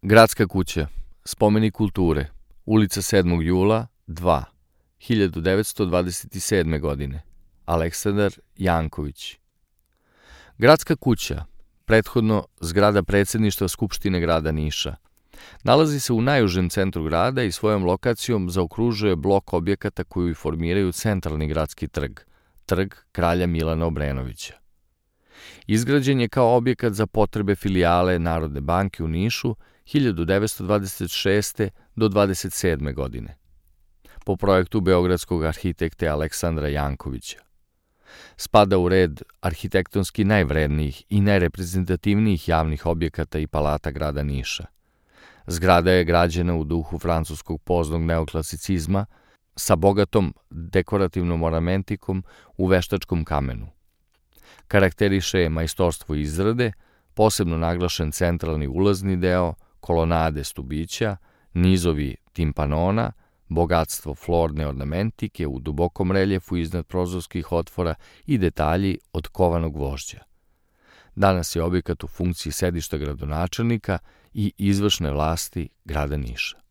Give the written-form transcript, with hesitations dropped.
Gradska kuća, spomenik kulture, ulica 7. jula, 2, 1927. godine, Aleksandar Janković. Gradska kuća, prethodno zgrada predsjedništva Skupštine grada Niša, nalazi se u najužem centru grada i svojom lokacijom zaokružuje blok objekata koji formiraju centralni gradski trg, trg kralja Milana Obrenovića. Izgrađen je kao objekat za potrebe filijale Narodne banke u Nišu 1926. do 27. godine, po projektu beogradskog arhitekte Aleksandra Jankovića. Spada u red arhitektonski najvrednijih i najreprezentativnijih javnih objekata i palata grada Niša. Zgrada je građena u duhu francuskog poznog neoklasicizma sa bogatom dekorativnom ornamentikom u veštačkom kamenu. Karakteriše je majstorstvo izrade, posebno naglašen centralni ulazni deo, kolonade stubića, nizovi timpanona, bogatstvo florne ornamentike u dubokom reljefu iznad prozorskih otvora i detalji od kovanog gvožđa. Danas je objekat u funkciji sedišta gradonačelnika i izvršne vlasti grada Niša.